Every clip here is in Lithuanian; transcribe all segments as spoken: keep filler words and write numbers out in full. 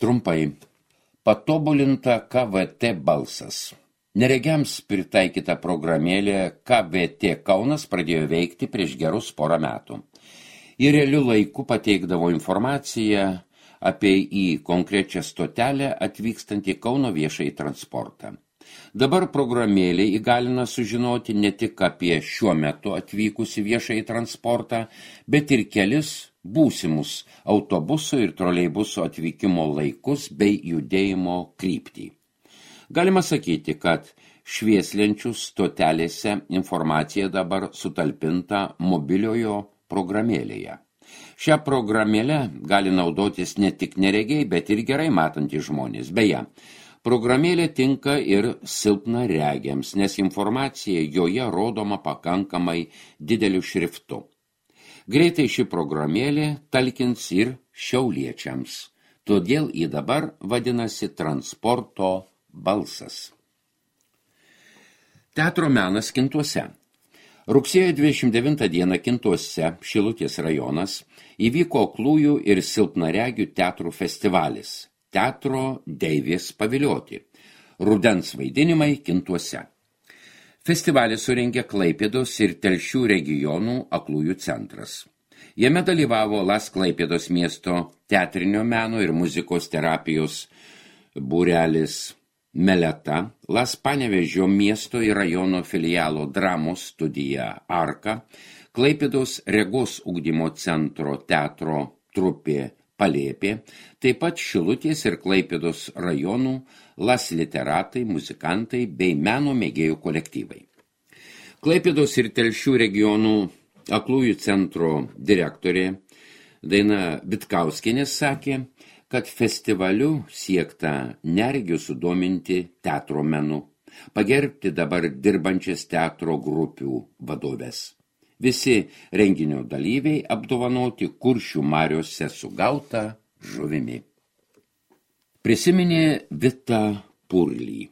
Trumpai. Patobulinta K V T balsas. Neregiams pritaikyta programėlė K V T Kaunas pradėjo veikti prieš gerus porą metų. Į realių laikų pateikdavo informaciją apie į konkrečią stotelę atvykstantį Kauno viešąjį transportą. Dabar programėlė įgalina sužinoti ne tik apie šiuo metu atvykusį viešąjį transportą, bet ir kelis būsimus autobusų ir troleibusų atvykimo laikus bei judėjimo kryptį. Galima sakyti, kad švieslenčių stotelėse informacija dabar sutalpinta mobiliojo programėlėje. Šią programėlę gali naudotis ne tik neregiai, bet ir gerai matantys žmonės. Beje, programėlė tinka ir silpnaregiams, nes informacija joje rodoma pakankamai dideliu šriftu. Greitai ši programėlė talkins ir šiauliečiams, todėl ji dabar vadinasi transporto balsas. Teatro menas Kintuose. Rugsėjo dvidešimt devintą dieną Kintuose, Šilutės rajonas, įvyko aklųjų ir silpnaregių teatrų festivalis Teatro Deivės pavilioti. Rudens vaidinimai Kintuose. Festivalį surengė Klaipėdos ir Telšių regionų aklųjų centras. Jame dalyvavo Las Klaipėdos miesto teatrinio meno ir muzikos terapijos būrelis Meleta, Las Panevėžio miesto ir rajono filialo dramos studija Arka, Klaipėdos regos ugdymo centro teatro trupė Palėpė, taip pat Šilutės ir Klaipėdos rajonų Las literatai, muzikantai bei meno mėgėjų kolektyvai. Klaipėdos ir Telšių regionų aklųjų centro direktorė Daina Vitkauskienė sakė, kad festivaliu siekta neregių sudominti teatro menu, pagerbti dabar dirbančias teatro grupių vadovės. Visi renginio dalyviai apdovanoti Kuršių mariose sugautą žuvimi. Prisiminė Vita Purlį.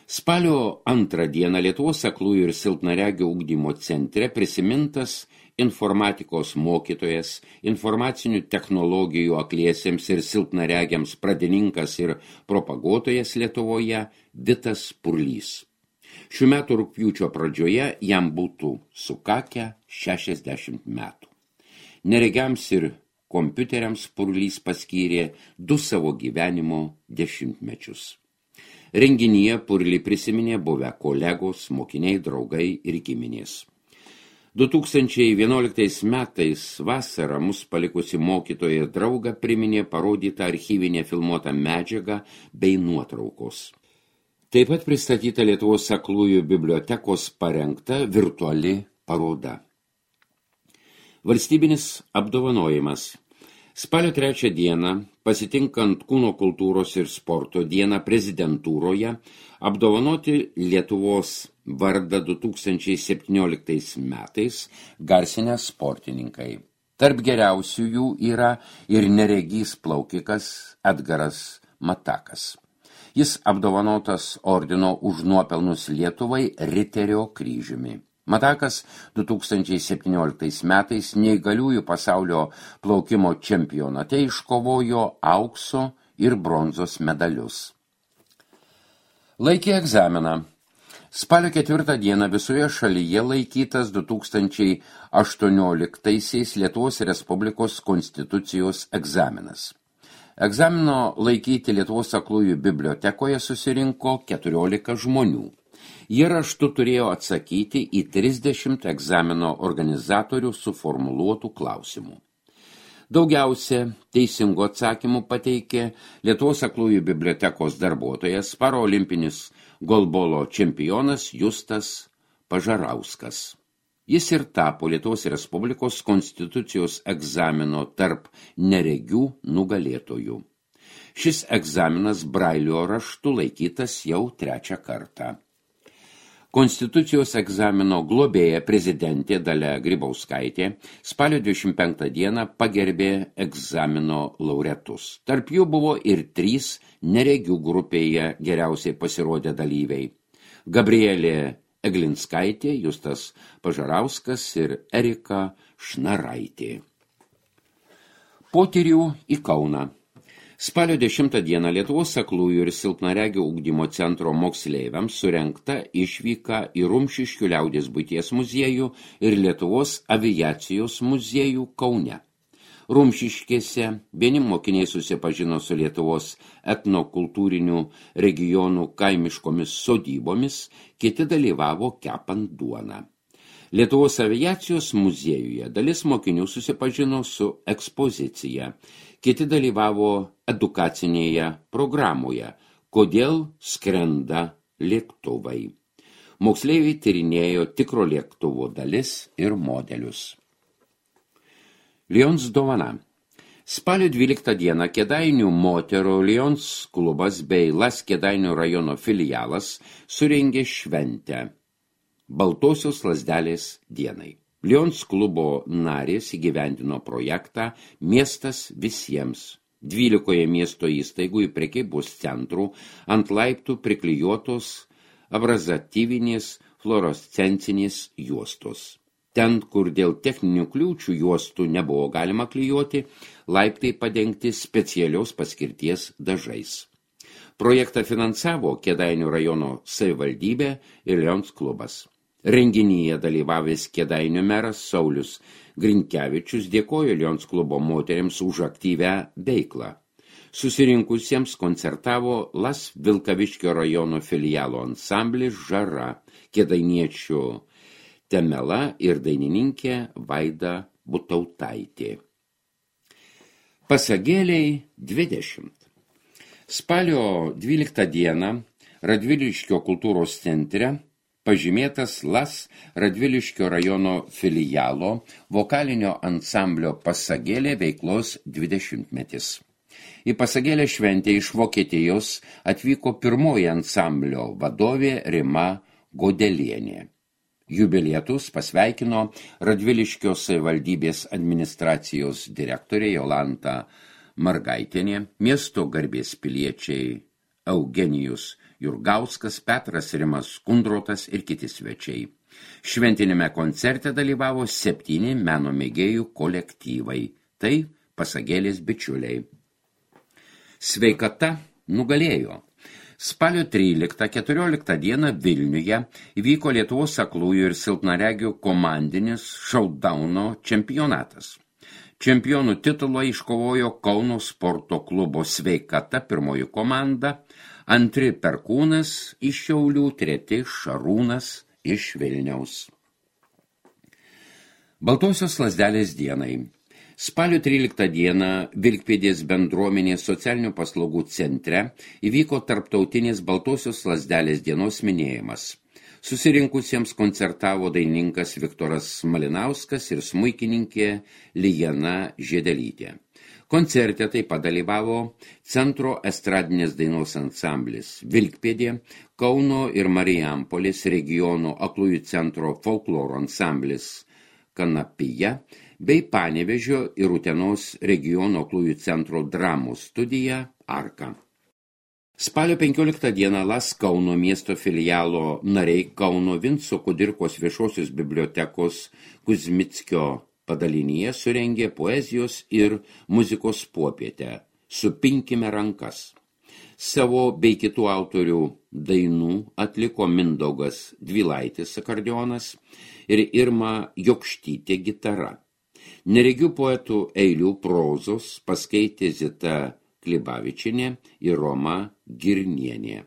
Spalio antrą dieną Lietuvos aklųjų ir silpnaregių ugdymo centre prisimintas informatikos mokytojas, informacinių technologijų akliesiems ir silpnaregiams pradininkas ir propaguotojas Lietuvoje Vitas Purlys. Šių metų rugpjūčio pradžioje jam būtų sukakę šešiasdešimt metų. Neregiams ir kompiuteriams Purlys paskyrė du savo gyvenimo dešimtmečius. Renginyje Purlį prisiminė buvę kolegos, mokiniai, draugai ir giminės. du tūkstančiai vienuoliktais metais vasarą mus palikusi mokytoja ir drauga priminė parodytą archyvinę filmuotą medžiagą bei nuotraukos. Taip pat pristatyta Lietuvos aklųjų bibliotekos parengta virtuali paroda. Valstybinis apdovanojimas. Spalio trečią dieną, pasitinkant Kūno kultūros ir sporto dieną prezidentūroje, apdovanoti Lietuvos vardą du tūkstančiai septynioliktais metais garsinę sportininkai. Tarp geriausiųjų yra ir neregys plaukikas Edgaras Matakas. Jis apdovanotas ordino už nuopelnus Lietuvai Riterio kryžiumi. Matakas du tūkstančiai septynioliktais metais neįgaliųjų pasaulio plaukimo čempionate iškovojo aukso ir bronzos medalius. Laikė egzaminą. Spalio ketvirtą dieną visoje šalyje laikytas du tūkstančiai aštuonioliktaisiais Lietuvos Respublikos konstitucijos egzaminas. Egzamino laikyti Lietuvos aklųjų bibliotekoje susirinko keturiolika žmonių. Jie raštu turėjo atsakyti į trisdešimt egzamino organizatorių suformuluotų klausimų. Daugiausia teisingų atsakymų pateikė Lietuvos aklųjų bibliotekos darbuotojas, paraolimpinis golbolo čempionas Justas Pažarauskas. Jis ir tapo Lietuvos Respublikos konstitucijos egzamino tarp neregių nugalėtojų. Šis egzaminas brailio raštu laikytas jau trečią kartą. Konstitucijos egzamino globėja prezidentė Dalia Grybauskaitė spalio dvidešimt penktą dieną pagerbė egzamino laureatus. Tarp jų buvo ir trys neregių grupėje geriausiai pasirodę dalyviai. Gabrielė Eglinskaitė, Justas Pažarauskas ir Erika Šnaraitė. Potyrių į Kauną. Spalio dešimtą dieną Lietuvos aklųjų ir silpnaregių ugdymo centro moksleiviams surengta išvyka į Rumšiškių liaudies buities muziejų ir Lietuvos aviacijos muziejų Kaune. Rumšiškėse vieni mokiniai susipažino su Lietuvos etnokultūrinių regionų kaimiškomis sodybomis, kiti dalyvavo kepant duoną. Lietuvos aviacijos muziejuje dalis mokinių susipažino su ekspozicija, kiti dalyvavo edukacinėje programoje, kodėl skrenda lėktuvai. Moksleiviai tyrinėjo tikro lėktuvo dalis ir modelius. Lions dovana. Spalio dvyliktą dieną Kėdainių moterų Lions klubas bei Las Kėdainių rajono filialas surengė šventę Baltosios lazdelės dienai. Lions klubo narės įgyvendino projektą Miestas visiems. Dvylikoje miesto įstaigų į prekybos centrų ant laiptų priklijuotos abrazatyvinės fluorescencinės juostos. Ten, kur dėl techninių kliūčių juostų nebuvo galima klijuoti, laiptai padengti specialios paskirties dažais. Projektą finansavo Kėdainių rajono savivaldybė ir Lions klubas. Renginyje dalyvavęs Kėdainių meras Saulius Grinkevičius dėkojo Lions klubo moteriams už aktyvią veiklą. Susirinkusiems koncertavo Las Vilkaviškio rajono filialo ansamblis Žara, kėdainiečių Temela ir dainininkė Vaida Butautaitė. Pasagėliai dvidešimt. Spalio dvyliktą dieną Radviliškio kultūros centre pažymėtas Las Radviliškio rajono filialo vokalinio ansamblio Pasagėlė veiklos dvidešimtmetis. Į Pasagėlę šventę iš Vokietijos atvyko pirmoji ansamblio vadovė Rima Godelienė. Jubilietus pasveikino Radviliškio savivaldybės administracijos direktorė Jolanta Margaitienė, miesto garbės piliečiai Eugenijus Jurgauskas, Petras Rimas Kundrotas ir kiti svečiai. Šventinėme koncerte dalyvavo septyni meno mėgėjų kolektyvai, tai Pasagėlės bičiuliai. Sveikata nugalėjo. Spalio tryliktą keturioliktą dieną Vilniuje įvyko Lietuvos aklųjų ir silpnaregių komandinis šaudauno čempionatas. Čempionų titulą iškovojo Kauno sporto klubo Sveikata pirmoji komanda, antri Perkūnas iš Šiaulių, treti Šarūnas iš Vilniaus. Baltosios lazdelės dienai. Spalio tryliktą dieną Vilkpėdės bendruomenės socialinių paslaugų centre įvyko tarptautinės Baltosios lazdelės dienos minėjimas. Susirinkusiems koncertavo dainininkas Viktoras Malinauskas ir smuikininkė Lijana Žiedelytė. Koncerte taip pat dalyvavo centro estradinės dainos ansamblis Vilkpėdė, Kauno ir Marijampolės regiono aklųjų centro folkloro ansamblis Kanapija, bei Panevėžio ir Utenos regiono aklųjų centro dramos studija Arka. Spalio penkioliktą dieną Las Kauno miesto filialo nariai Kauno Vinco Kudirkos viešosios bibliotekos Kuzmickio padalinyje surengė poezijos ir muzikos popietę Supinkime rankas. Savo bei kitų autorių dainų atliko Mindaugas Dvilaitis akordeonas ir Irma Jokštytė gitara. Neregių poetų eilių prozos paskaitė Zita Klibavičienė ir Roma Girnienė.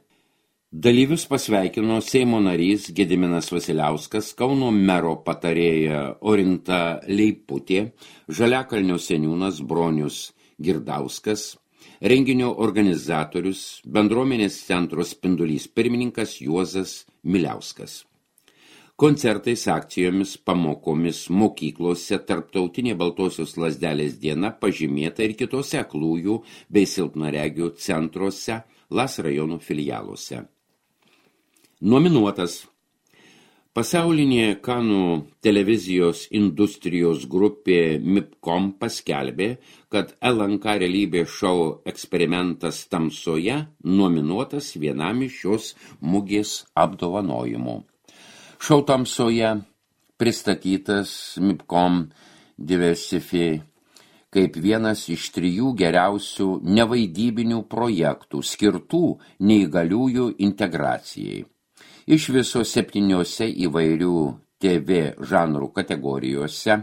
Dalyvius pasveikino Seimo narys Gediminas Vasiliauskas, Kauno mero patarėja Orinta Leiputė, Žaliakalnio seniūnas Bronius Girdauskas, renginio organizatorius, bendruomenės centro Spindulys pirmininkas Juozas Miliauskas. Koncertais, akcijomis, pamokomis, mokyklose tarptautinė Baltosios lazdelės diena pažymėta ir kitose aklųjų bei silpnaregių centruose, Las rajonų filialuose. Nominuotas. Pasaulinė Kanų televizijos industrijos grupė Mipcom paskelbė, kad L N K realybės šou eksperimentas tamsoje nominuotas vienam iš šios mugės apdovanojimų. Šou tamsoje pristatytas Mipcom Diversify kaip vienas iš trijų geriausių nevaidybinių projektų skirtų neįgaliųjų integracijai. Iš viso septyniose įvairių T V žanrų kategorijose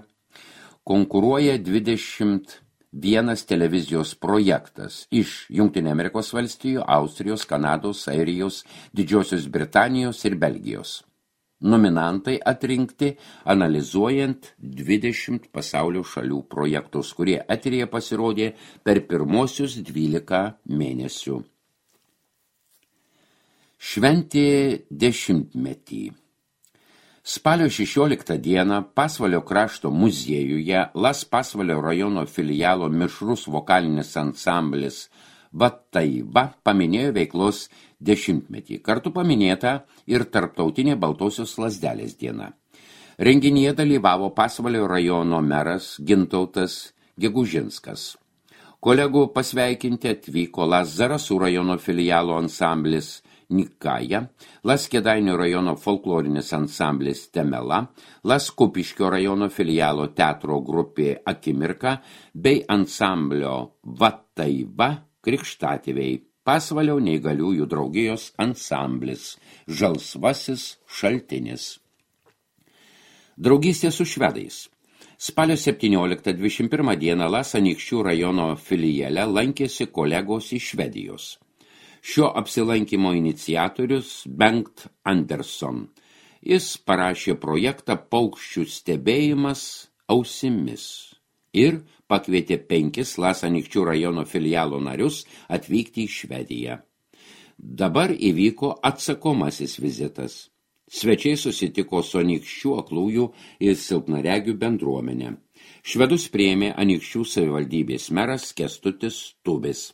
konkuruoja dvidešimt vienas televizijos projektas iš Jungtinių Amerikos valstijų, Austrijos, Kanados, Airijos, Didžiosios Britanijos ir Belgijos. Nominantai atrinkti analizuojant dvidešimt pasaulio šalių projektus, kurie eteryje pasirodė per pirmosius dvylika mėnesių. Šventė dešimtmetį. Spalio šešioliktą dieną Pasvalio krašto muziejuje Las Pasvalio rajono filialo mišrus vokalinis ansamblis Vataiva paminėjo veiklos dešimtmetį. Kartu paminėta ir tarptautinė Baltosios lazdelės diena. Renginyje dalyvavo Pasvalio rajono meras Gintautas Gegužinskas. Kolegų pasveikinti atvyko Las Zarasų rajono filialo ansamblis Nikaja, Las Kėdainių rajono folklorinis ansamblis Temela, Las Kupiškio rajono filialo teatro grupė Akimirka bei ansamblio Vataiva krikštatėviai, Pasvalio neįgaliųjų draugijos ansamblis Žalsvasis šaltinis. Draugystė su švedais. Spalio septynioliktą dvidešimt pirmą dieną Las Anykščių rajono filiale lankėsi kolegos iš Švedijos. Šio apsilankymo iniciatorius Bengt Anderson. Jis parašė projektą Paukščių stebėjimas ausimis ir pakvietė penkis Las Anykščių rajono filialo narius atvykti į Švediją. Dabar įvyko atsakomasis vizitas. Svečiai susitiko su Anykščių aklųjų ir silpnaregių bendruomenė. Švedus priėmė Anykščių savivaldybės meras Kęstutis Tubis.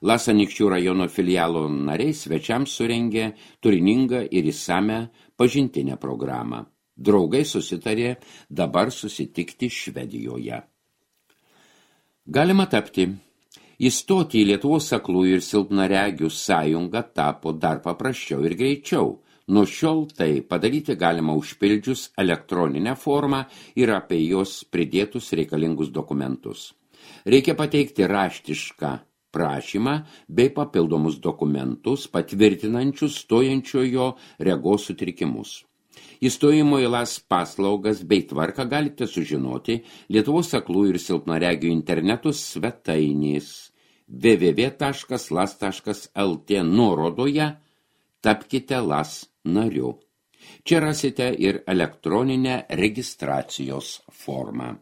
Las Anykščių rajono filialo nariai svečiams surengė turiningą ir įsamią pažintinę programą. Draugai susitarė dabar susitikti Švedijoje. Galima tapti. Įstoti į Lietuvos aklųjų ir silpnaregių sąjungą tapo dar paprasčiau ir greičiau. Nuo šiol tai padaryti galima užpildžius elektroninę formą ir apie jos pridėtus reikalingus dokumentus. Reikia pateikti raštišką prašymą bei papildomus dokumentus patvirtinančius stojančiojo regos sutrikimus. Įstojimo į Las paslaugas bei tvarką galite sužinoti Lietuvos aklųjų ir silpnaregių interneto svetainės w w w taškas las taškas l t nuorodoje tapkite Las nariu. Čia rasite ir elektroninę registracijos formą.